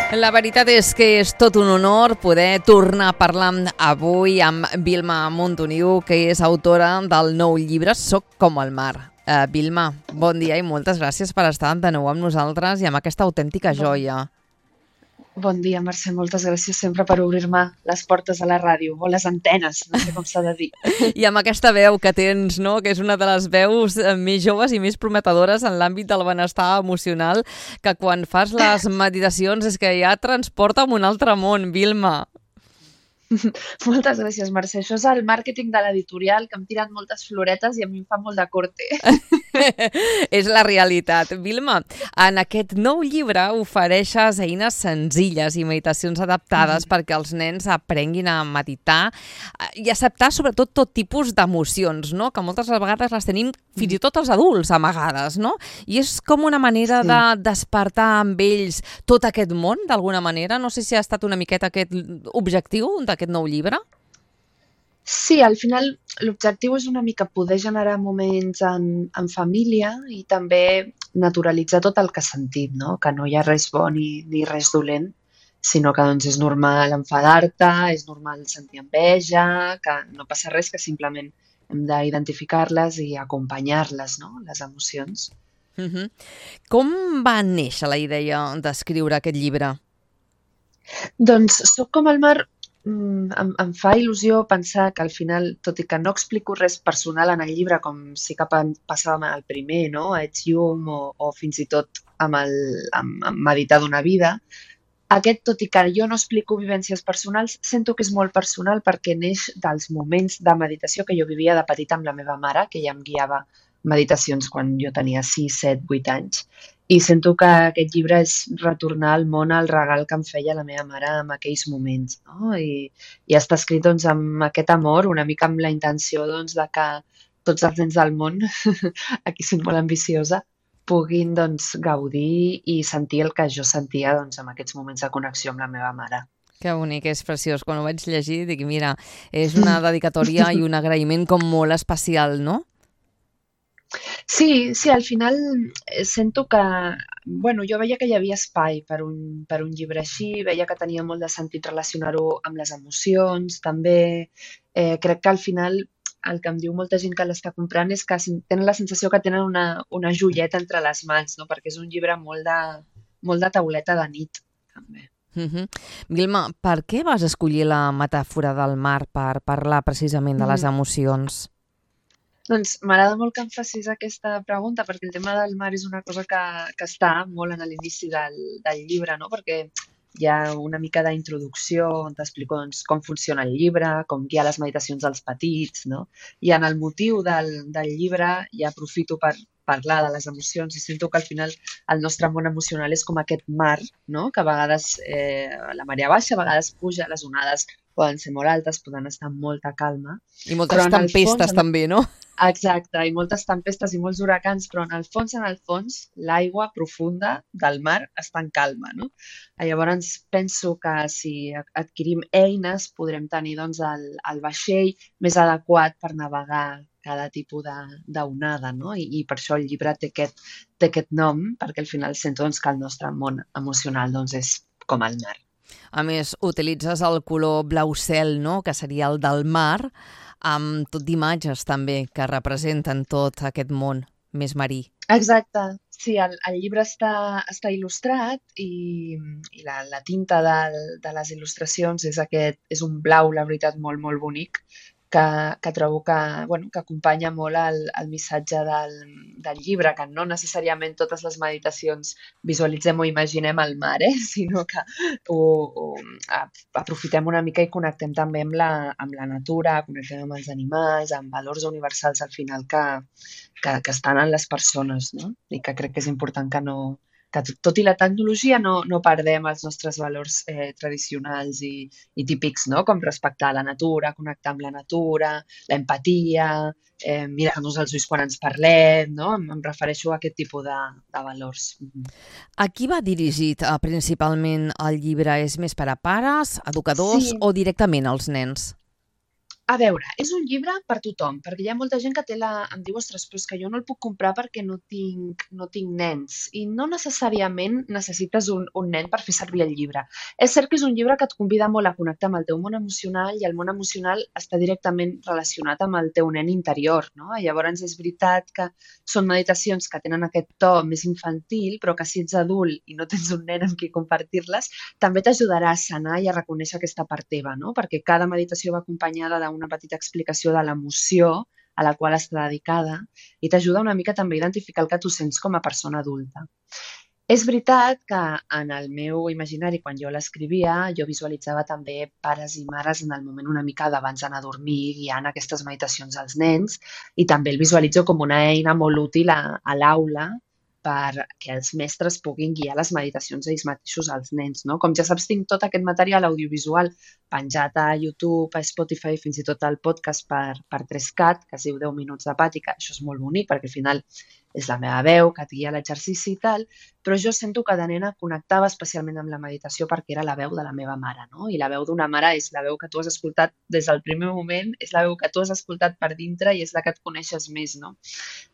La veritat és que és tot un honor poder tornar a parlar avui amb Vilma Montoliu, que és autora del nou llibre Soc com el mar. Vilma, bon dia i moltes gràcies per estar de nou amb nosaltres i amb aquesta autèntica joia. Bon dia, Mercè. Moltes gràcies sempre per obrir-me les portes a la ràdio, o les antenes, no sé com s'ha de dir. I amb aquesta veu que tens, no?, que és una de les veus més joves i més prometedores en l'àmbit del benestar emocional, que quan fas les meditacions és que ja et transporta a un altre món, Vilma. Moltes gràcies, Mercè. Això és el màrqueting de l'editorial, que em tiren moltes floretes i a mi em fa molt de corte. És la realitat. Vilma, en aquest nou llibre ofereixes eines senzilles i meditacions adaptades perquè els nens aprenguin a meditar i acceptar sobretot tot tipus d'emocions, no?, que moltes vegades les tenim fins i tot els adults amagades, no? I és com una manera de despertar amb ells tot aquest món, d'alguna manera. No sé si ha estat una miqueta aquest objectiu d'aquest nou llibre. Sí, al final l'objectiu és una mica poder generar moments en família i també naturalitzar tot el que sentim, no? Que no hi ha res bo ni res dolent, sinó que doncs, és normal enfadar-te, és normal sentir enveja, que no passa res, que simplement hem d'identificar-les i acompanyar-les, no?, les emocions. Com va néixer la idea d'escriure aquest llibre? Doncs Soc com el mar. Em fa il·lusió pensar que al final, tot i que no explico res personal en el llibre, com sí que passava amb el primer, no?, a Ets llum o fins i tot amb meditar d'una vida, aquest, tot i que jo no explico vivències personals, sento que és molt personal perquè neix dels moments de meditació que jo vivia de petita amb la meva mare, que ja em guiava meditacions quan jo tenia 6, 7, 8 anys. I sento que aquest llibre és retornar al món el regal que em feia la meva mare en aquells moments, no? I està escrit doncs, amb aquest amor, una mica amb la intenció doncs, de que tots els nens del món, aquí soc molt ambiciosa, puguin doncs, gaudir i sentir el que jo sentia doncs, en aquests moments de connexió amb la meva mare. Que bonic, és preciós. Quan ho vaig llegir dic, mira, és una dedicatòria i un agraïment com molt especial, no? Sí, al final sento que, bueno, jo veia que hi havia espai per un llibre així, veia que tenia molt de sentit relacionar-ho amb les emocions, també crec que al final el que em diu molta gent que l'està comprant és que tenen la sensació que tenen una joieta entre les mans, no?, perquè és un llibre molt de tauleta de nit, també. Vilma, per què vas escollir la metàfora del mar per parlar precisament de les emocions? Doncs m'agrada molt que em facis aquesta pregunta perquè el tema del mar és una cosa que està molt en l'inici del llibre, no? Perquè hi ha una mica d'introducció on t'explico doncs, com funciona el llibre, com guiar les meditacions dels petits, no? I en el motiu del llibre ja aprofito per parlar de les emocions i sento que al final el nostre món emocional és com aquest mar, no?, que a vegades la marea baixa, a vegades puja, les onades poden ser molt altes, poden estar amb molta calma. I moltes tempestes també, no? Exacte, i moltes tempestes i molts huracans, però en el fons, l'aigua profunda del mar està en calma, no? Llavors penso que si adquirim eines podrem tenir doncs, el vaixell més adequat per navegar cada tipus d'onada, no? I per això el llibre té aquest nom, perquè al final sento doncs, que el nostre món emocional doncs, és com el mar. A més, utilitzes el color blau cel, no?, que seria el del mar, amb tot d'imatges també que representen tot aquest món més marí. Exacte, sí, el llibre està il·lustrat i la tinta de les il·lustracions és un blau, la veritat, molt, molt bonic, que trobo que acompanya molt el missatge del llibre, que no necessàriament totes les meditacions visualitzem o imaginem el mar, sinó que aprofitem una mica i connectem també amb la natura, connectem amb els animals, amb valors universals al final que estan en les persones, no? I que crec que és important que tot i la tecnologia no perdem els nostres valors tradicionals i típics, no?, com respectar la natura, connectar amb la natura, l'empatia, mirar-nos als ulls quan ens parlem, no? Em refereixo a aquest tipus de valors. A qui va dirigit principalment el llibre? És més per a pares, educadors o directament als nens? A veure, és un llibre per tothom, perquè hi ha molta gent que em diu, ostres, però és que jo no el puc comprar perquè no tinc nens. I no necessàriament necessites un nen per fer servir el llibre. És cert que és un llibre que et convida molt a connectar amb el teu món emocional i el món emocional està directament relacionat amb el teu nen interior, no? Llavors és veritat que són meditacions que tenen aquest to més infantil, però que si ets adult i no tens un nen amb qui compartir-les, també t'ajudarà a sanar i a reconèixer aquesta part teva, no? Perquè cada meditació va acompanyada d'una petita explicació de l'emoció a la qual està dedicada i t'ajuda una mica també a identificar el que tu sents com a persona adulta. És veritat que en el meu imaginari, quan jo l'escrivia, jo visualitzava també pares i mares en el moment una mica d'abans d'anar a dormir guiant aquestes meditacions als nens i també el visualitzo com una eina molt útil a l'aula perquè els mestres puguin guiar les meditacions ells mateixos als nens, no? Com ja saps, tinc tot aquest material audiovisual penjat a YouTube, a Spotify, fins i tot al podcast per 3CAT, que es diu 10 minuts de pàtica. Això és molt bonic perquè al final és la meva veu que et guia l'exercici i tal, però jo sento que de nena connectava especialment amb la meditació perquè era la veu de la meva mare, no? I la veu d'una mare és la veu que tu has escoltat des del primer moment, és la veu que tu has escoltat per dintre i és la que et coneixes més, no?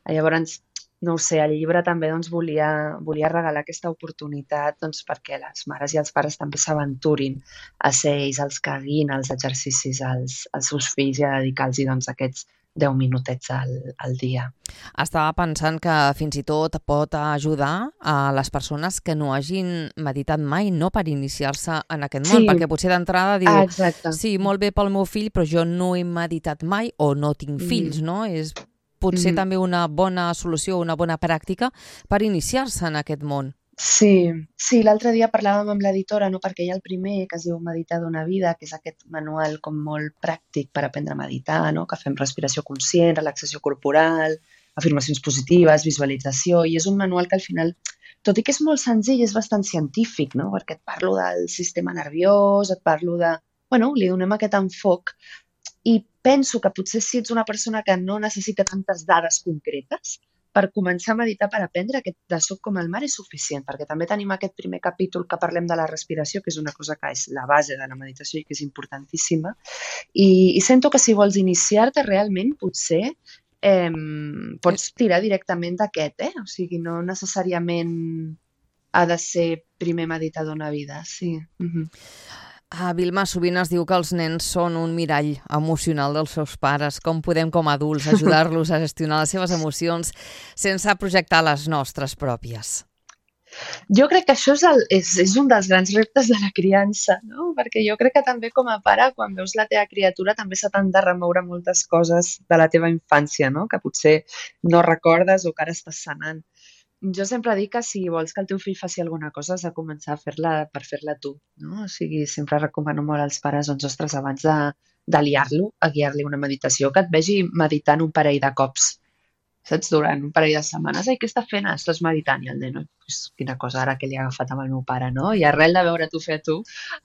Llavors, no ho sé, el llibre també volia regalar aquesta oportunitat perquè les mares i els pares també s'aventurin a ser ells els que guiïn els exercicis als seus fills i a dedicar-los aquests 10 minutets al dia. Estava pensant que fins i tot pot ajudar a les persones que no hagin meditat mai, no, per iniciar-se en aquest món, perquè potser d'entrada diu, sí, molt bé pel meu fill, però jo no he meditat mai o no tinc fills, no? És potser també una bona solució, una bona pràctica per iniciar-se en aquest món. Sí, l'altre dia parlàvem amb l'editora, no, perquè hi ha el primer, que es diu Meditar d'una vida, que és aquest manual com molt pràctic per aprendre a meditar, no? Que fem respiració conscient, relaxació corporal, afirmacions positives, visualització, i és un manual que al final, tot i que és molt senzill, és bastant científic, no? Perquè et parlo del sistema nerviós, et parlo de... Bueno, li donem aquest enfoc i penso que potser si ets una persona que no necessita tantes dades concretes, per començar a meditar, per aprendre aquest de soc com el mar és suficient, perquè també tenim aquest primer capítol que parlem de la respiració, que és una cosa que és la base de la meditació i que és importantíssima, i sento que si vols iniciar-te realment, potser pots tirar directament d'aquest, o sigui, no necessàriament ha de ser primer meditar d'una vida, sí. Vilma, sovint es diu que els nens són un mirall emocional dels seus pares. Com podem, com a adults, ajudar-los a gestionar les seves emocions sense projectar les nostres pròpies? Jo crec que això és un dels grans reptes de la criança, no? Perquè jo crec que també com a pare, quan veus la teva criatura, també se t'han de remoure moltes coses de la teva infància, no? Que potser no recordes o que ara estàs sanant. Jo sempre dic que si vols que el teu fill faci alguna cosa has de començar a fer-la per fer-la tu, no? O sigui, sempre recomano molt als pares, doncs, ostres, abans de liar-lo, a guiar-li una meditació, que et vegi meditant un parell de cops, saps? Durant un parell de setmanes. Ai, què està fent? Estàs meditant. I el nen, quina cosa ara que li ha agafat amb el meu pare, no? I arrel de veure tu fer a tu,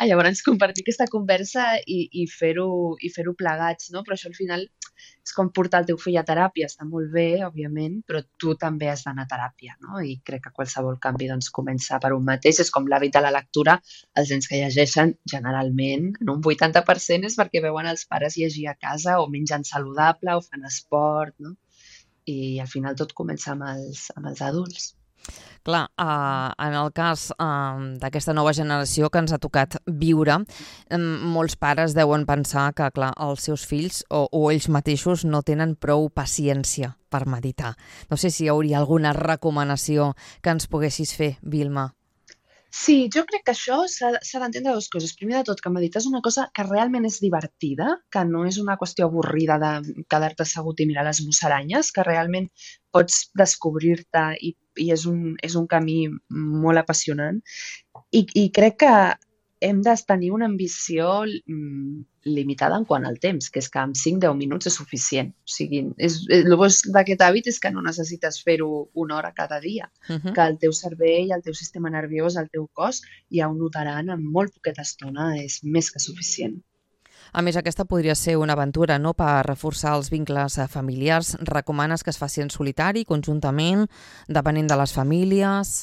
llavors compartir aquesta conversa i fer-ho plegats, no? Però això al final és com portar el teu fill a teràpia, està molt bé, òbviament, però tu també has d'anar a teràpia, no? I crec que qualsevol canvi comença per un mateix. És com l'hàbit de la lectura. Els nens que llegeixen, generalment, en un 80% és perquè veuen els pares llegir a casa o menjant saludable o fan esport, no? I al final tot comença amb els adults. Clar, en el cas d'aquesta nova generació que ens ha tocat viure, molts pares deuen pensar que, clar, els seus fills o ells mateixos no tenen prou paciència per meditar. No sé si hi hauria alguna recomanació que ens poguessis fer, Vilma. Sí, jo crec que això s'ha d'entendre dues coses. Primer de tot, que meditar és una cosa que realment és divertida, que no és una qüestió avorrida de quedar-te assegut i mirar les musaranyes, que realment pots descobrir-te i és un camí molt apassionant. I crec que hem de tenir una ambició limitada en quant al temps, que és que amb 5-10 minuts és suficient. O sigui, el bo d'aquest hàbit és que no necessites fer-ho una hora cada dia, que el teu cervell, el teu sistema nerviós, el teu cos ja ho notaran en molt poqueta estona, és més que suficient. A més, aquesta podria ser una aventura, no?, per reforçar els vincles familiars. Recomanes que es faci en solitari, conjuntament, depenent de les famílies?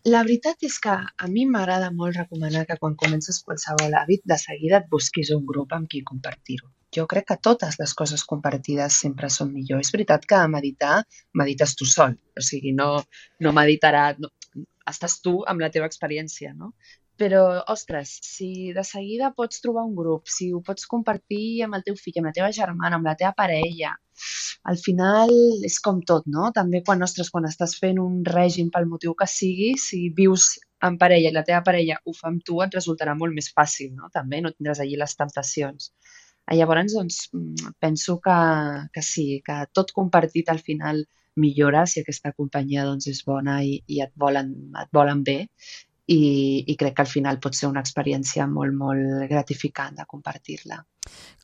La veritat és que a mi m'agrada molt recomanar que quan comences qualsevol hàbit, de seguida et busquis un grup amb qui compartir-ho. jo crec que totes les coses compartides sempre són millor. És veritat que meditar, medites tu sol, o sigui, no meditarà, no, estàs tu amb la teva experiència, no? Però, ostres, si de seguida pots trobar un grup, si ho pots compartir amb el teu fill, amb la teva germana, amb la teva parella, al final és com tot, no? També quan estàs fent un règim pel motiu que sigui, si vius en parella i la teva parella ho fa amb tu, et resultarà molt més fàcil, no? També no tindràs allí les temptacions. Llavors, doncs, penso que sí, que tot compartit al final millora si aquesta companyia doncs, és bona i et volen bé i crec que al final pot ser una experiència molt, molt gratificant de compartir-la.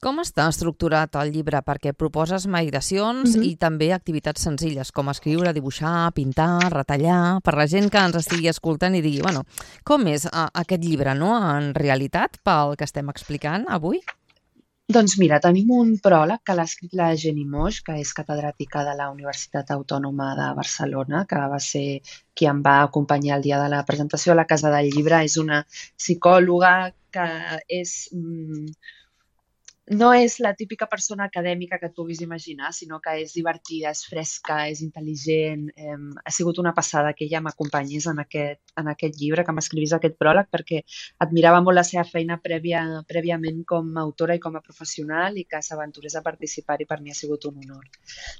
Com està estructurat el llibre? Perquè proposes meditacions i també activitats senzilles, com escriure, dibuixar, pintar, retallar, per la gent que ens estigui escoltant i digui, bueno, com és aquest llibre, no?, en realitat, pel que estem explicant avui? Doncs mira, tenim un pròleg que l'ha escrit la Jenny Moix, que és catedràtica de la Universitat Autònoma de Barcelona, que va ser qui em va acompanyar el dia de la presentació a la Casa del Llibre. És una psicòloga que no és la típica persona acadèmica que et puguis imaginar, sinó que és divertida, és fresca, és intel·ligent. Ha sigut una passada que ella m'acompanyés en aquest llibre, que m'escrivís aquest pròleg, perquè admirava molt la seva feina prèviament com a autora i com a professional i que s'aventurés a participar-hi per mi ha sigut un honor.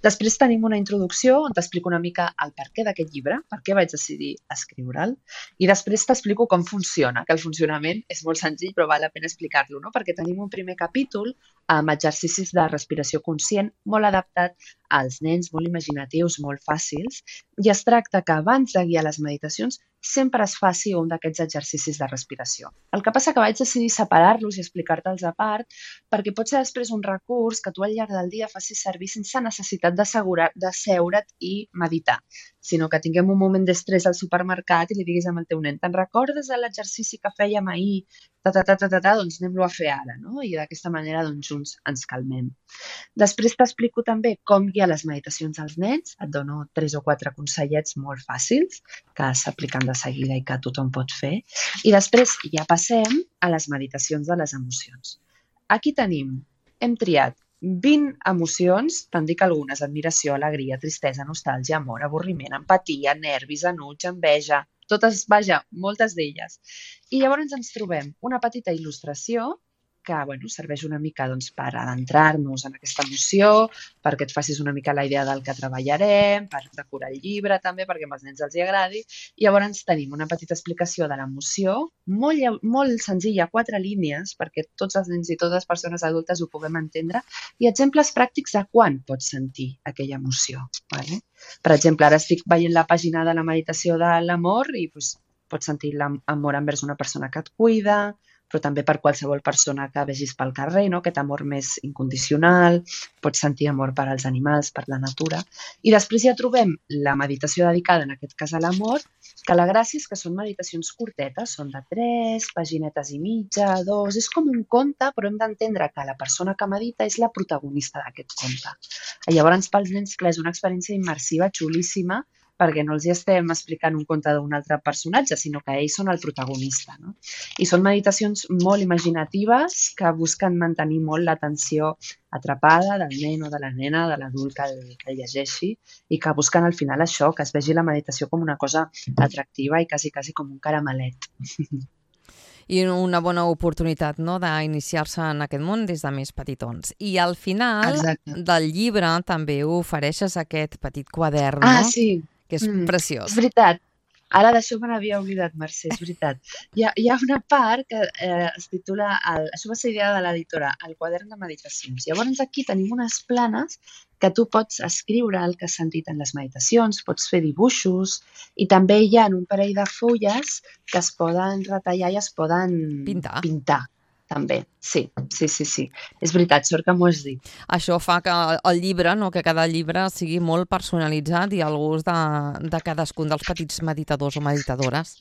Després tenim una introducció on t'explico una mica el perquè d'aquest llibre, per què vaig decidir escriure'l, i després t'explico com funciona, que el funcionament és molt senzill però val la pena explicar-lo, no? Perquè tenim un primer capítol amb exercicis de respiració conscient molt adaptat als nens, molt imaginatius, molt fàcils, i es tracta que abans de guiar les meditacions sempre es faci un d'aquests exercicis de respiració. El que passa que vaig decidir separar-los i explicar-te'ls a part perquè pot ser després un recurs que tu al llarg del dia facis servir sense necessitat de seure't i meditar, sinó que tinguem un moment d'estrès al supermercat i li diguis al teu nen, te'n recordes de l'exercici que fèiem ahir? Doncs anem-lo a fer ara, no? I d'aquesta manera doncs, junts ens calmem. Després t'explico també com guiar les meditacions als nens, et dono 3 o 4 consellets molt fàcils que s'apliquen de seguida i que tothom pot fer. I després ja passem a les meditacions de les emocions. Aquí hem triat 20 emocions, te'n dic algunes, admiració, alegria, tristesa, nostàlgia, amor, avorriment, empatia, nervis, enuig, enveja, totes, vaja, moltes d'elles. I llavors ens trobem una petita il·lustració que serveix una mica per adentrar-nos en aquesta emoció, perquè et facis una mica la idea del que treballarem, per decorar el llibre també, perquè als nens els agradi. I llavors tenim una petita explicació de l'emoció, molt senzilla, 4 línies, perquè tots els nens i totes les persones adultes ho puguem entendre, i exemples pràctics de quan pots sentir aquella emoció. Per exemple, ara estic veient la pàgina de la meditació de l'amor i pots sentir l'amor envers una persona que et cuida, però també per qualsevol persona que vegis pel carrer, no? Aquest amor més incondicional, pots sentir amor per als animals, per la natura. I després ja trobem la meditació dedicada, en aquest cas a l'amor, que la gràcia és que són meditacions curtetes, són de 3 paginetes i mitja, 2, és com un conte, però hem d'entendre que la persona que medita és la protagonista d'aquest conte. Llavors, pels nens, clar, és una experiència immersiva, xulíssima, perquè no els estem explicant un conte d'un altre personatge, sinó que ells són el protagonista. No? I són meditacions molt imaginatives que busquen mantenir molt l'atenció atrapada del nen o de la nena, de l'adult que el llegeixi, i que busquen al final això, que es vegi la meditació com una cosa atractiva i quasi com un caramelet. I una bona oportunitat, no?, d'iniciar-se en aquest món des de més petitons. I al final del llibre també ofereixes aquest petit quadern, no? Sí. Que és preciós. És veritat. Ara d'això me n'havia oblidat, Mercè, és veritat. Hi ha una part que es titula, això va ser idea de l'editora, el quadern de meditacions. Llavors aquí tenim unes planes que tu pots escriure el que has sentit en les meditacions, pots fer dibuixos i també hi ha un parell de fulles que es poden retallar i es poden pintar. També, sí. És veritat, sort que m'ho has dit. Això fa que el llibre, no, que cada llibre sigui molt personalitzat i al gust de cadascun dels petits meditadors o meditadores.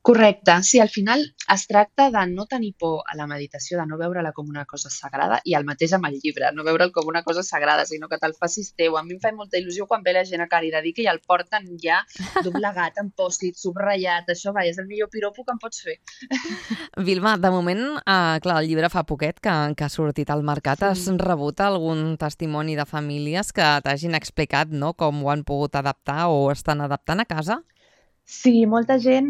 Correcte. Sí, al final es tracta de no tenir por a la meditació, de no veure-la com una cosa sagrada, i el mateix amb el llibre, no veure'l com una cosa sagrada, sinó que te'l facis teu. A mi em fa molta il·lusió quan ve la gent a Caritatí que ja el porten ja doblegat, amb pòst-it, subratllat. Això, va, és el millor piropo que em pots fer. Vilma, de moment, clar, el llibre fa poquet que ha sortit al mercat. Has rebut algun testimoni de famílies que t'hagin explicat, no?, com ho han pogut adaptar o estan adaptant a casa? Sí, molta gent.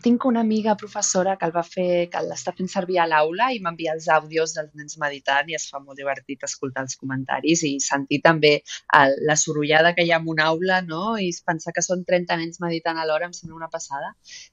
Tinc una amiga professora que que l'està fent servir a l'aula i m'envia els àudios dels nens meditant i es fa molt divertit escoltar els comentaris i sentir també la sorollada que hi ha en una aula, no? I pensar que són 30 nens meditant alhora em sembla una passada.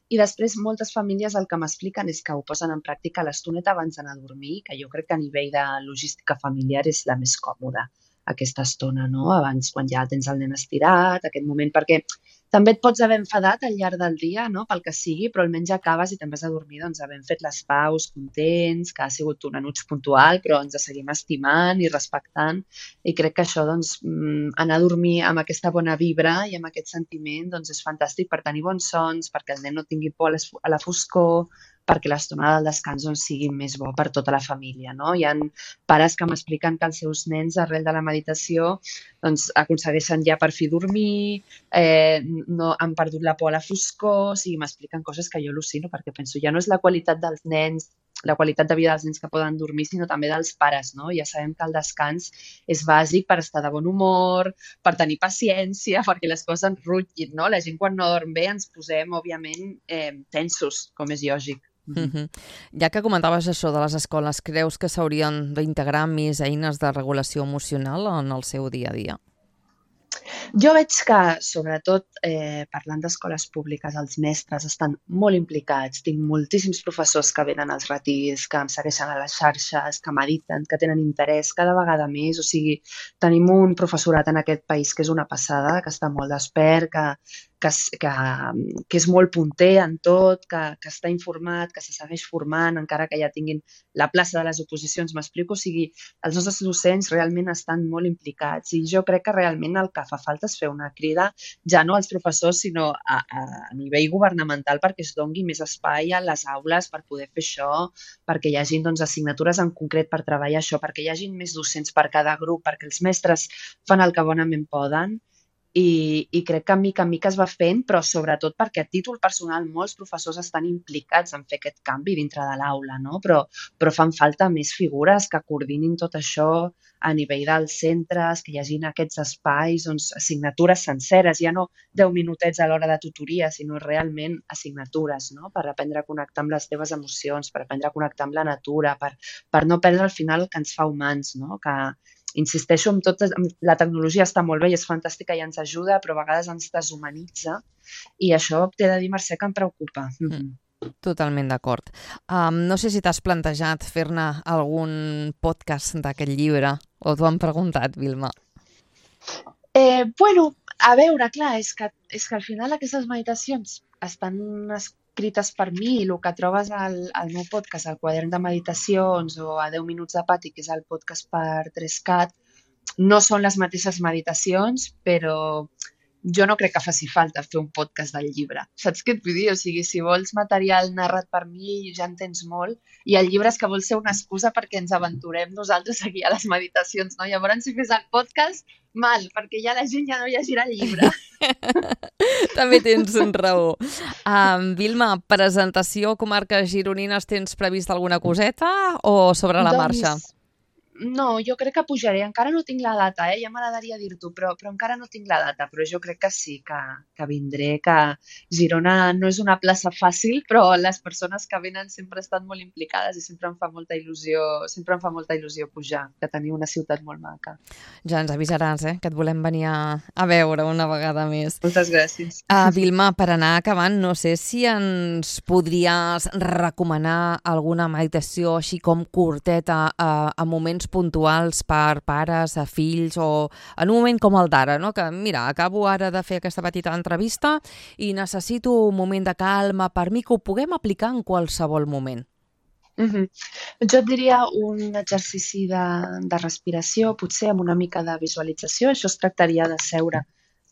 I després moltes famílies el que m'expliquen és que ho posen en pràctica l'estoneta abans d'anar a dormir, que jo crec que a nivell de logística familiar és la més còmoda, aquesta estona, no? Abans, quan ja tens el nen estirat, aquest moment, perquè també et pots haver enfadat al llarg del dia, no?, pel que sigui, però almenys acabes i te'n vas a dormir doncs, havent fet les paus, contents, que ha sigut un enuig puntual, però ens seguim estimant i respectant. I crec que això, doncs, anar a dormir amb aquesta bona vibra i amb aquest sentiment, doncs, és fantàstic per tenir bons sons, perquè el nen no tingui por a la foscor, perquè l'estona del descans doncs, sigui més bo per tota la família, no? Hi ha pares que m'expliquen que els seus nens, arrel de la meditació, doncs, aconsegueixen ja per fi dormir, no han perdut la por a la foscor, o sigui, m'expliquen coses que jo al·lucino, perquè penso, ja no és la qualitat dels nens, la qualitat de vida dels nens que poden dormir, sinó també dels pares, no? Ja sabem que el descans és bàsic per estar de bon humor, per tenir paciència, perquè les coses ens rutllin, no? La gent quan no dorm bé ens posem, òbviament, tensos, com és lògic. Ja que comentaves això de les escoles, creus que s'haurien d'integrar més eines de regulació emocional en el seu dia a dia? Jo veig que, sobretot, parlant d'escoles públiques, els mestres estan molt implicats. Tinc moltíssims professors que venen als retirs, que em segueixen a les xarxes, que mediten, que tenen interès cada vegada més. O sigui, tenim un professorat en aquest país que és una passada, que està molt despert, que és molt punter en tot, que està informat, que se segueix formant, encara que ja tinguin la plaça de les oposicions, m'explico? O sigui, els nostres docents realment estan molt implicats i jo crec que realment el que fa falta és fer una crida ja no als professors sinó a nivell governamental perquè es doni més espai a les aules per poder fer això, perquè hi hagi doncs, assignatures en concret per treballar això, perquè hi hagi més docents per cada grup, perquè els mestres fan el que bonament poden. I crec que mica en mica es va fent, però sobretot perquè a títol personal molts professors estan implicats en fer aquest canvi dintre de l'aula, no? Però fan falta més figures que coordinin tot això a nivell dels centres, que hi hagin aquests espais, doncs, assignatures senceres, ja no 10 minutets a l'hora de tutoria, sinó realment assignatures, no? Per aprendre a connectar amb les teves emocions, per aprendre a connectar amb la natura, per no perdre al final el que ens fa humans, no? Que insisteixo, la tecnologia està molt bé i és fantàstica i ens ajuda, però a vegades ens deshumanitza i això t'he de dir, Mercè, que em preocupa. Totalment d'acord. No sé si t'has plantejat fer-ne algun podcast d'aquest llibre o t'ho han preguntat, Vilma. Bueno, a veure, clar, és que al final aquestes meditacions estan escrites per mi i el que trobes al meu podcast, al quadern de meditacions o a 10 minuts de pati, que és el podcast per 3CAT, no són les mateixes meditacions, però jo no crec que faci falta fer un podcast del llibre. Saps què et vull dir? O sigui, si vols material narrat per mi, ja en tens molt, i el llibre és que vol ser una excusa perquè ens aventurem nosaltres aquí a les meditacions, no? Llavors, si fes el podcast, mal, perquè ja la gent ja no llegirà el llibre. També tens raó. Vilma, presentació comarques gironines, tens previst alguna coseta o sobre la marxa? No, jo crec que pujaré. Encara no tinc la data, ja m'agradaria dir-t'ho, però encara no tinc la data. Però jo crec que sí, que vindré, que Girona no és una plaça fàcil, però les persones que venen sempre estan molt implicades i sempre em fa molta il·lusió pujar, que tenir una ciutat molt maca. Ja ens avisaràs, que et volem venir a veure una vegada més. Moltes gràcies. Vilma, per anar acabant, no sé si ens podries recomanar alguna meditació així com curteta a moments puntuals per pares, a fills o en un moment com el d'ara, no? Que mira, acabo ara de fer aquesta petita entrevista i necessito un moment de calma per mi que ho puguem aplicar en qualsevol moment. Jo et diria un exercici de respiració, potser amb una mica de visualització. Això es tractaria de seure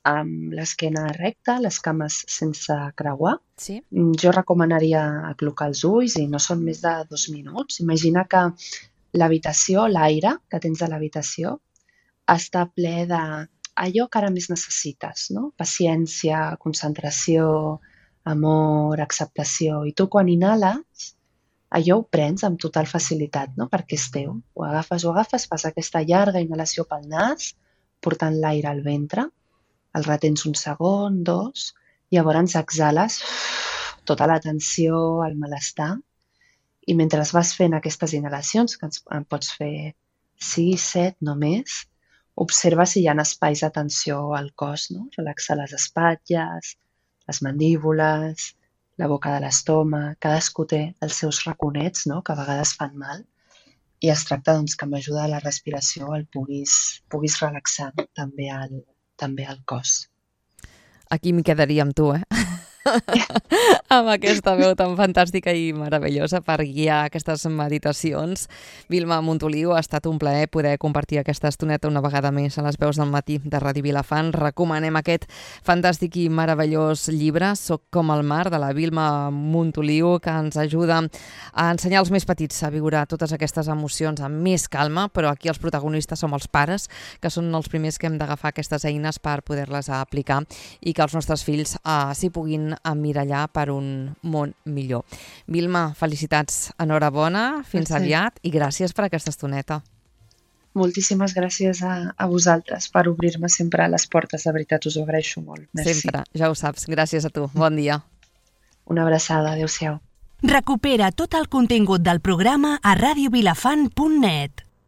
amb l'esquena recta, les cames sense creuar. Sí? Jo recomanaria aclocar els ulls i no són més de 2 minuts. Imagina que l'habitació, l'aire que tens a l'habitació, està ple d'allò que ara més necessites, no? Paciència, concentració, amor, acceptació. I tu quan inhales, allò ho prens amb total facilitat, no? Perquè és teu. Ho agafes, fas aquesta llarga inhalació pel nas, portant l'aire al ventre, el retens un segon, 2, i llavors exhales tota la tensió, el malestar, i mentre vas fent aquestes inhalacions, que en pots fer 6, 7, no més, observa si hi ha espais de tensió al cos, no? Relaxa les espatlles, les mandíbules, la boca de l'estómac, cadascú té els seus raconets, no? Que a vegades fan mal, i es tracta doncs, que amb ajuda de la respiració el puguis relaxar també al cos. Aquí m'hi quedaria amb tu, amb aquesta veu tan fantàstica i meravellosa per guiar aquestes meditacions. Vilma Montoliu, ha estat un plaer poder compartir aquesta estoneta una vegada més a les veus del matí de Ràdio Vilafant. Recomanem aquest fantàstic i meravellós llibre, Soc com el mar, de la Vilma Montoliu, que ens ajuda a ensenyar als més petits a viure totes aquestes emocions amb més calma, però aquí els protagonistes som els pares, que són els primers que hem d'agafar aquestes eines per poder-les aplicar i que els nostres fills s'hi puguin emmirallar per un món millor. Vilma, felicitats, enhorabona, fins aviat i gràcies per aquesta estoneta. Moltíssimes gràcies a vosaltres per obrir-me sempre les portes, de veritat us ho agraeixo molt. Merci. Sempre, ja ho saps. Gràcies a tu. Bon dia. Una abraçada, adéu-siau. Recupera tot el contingut del programa a radiovilafant.net.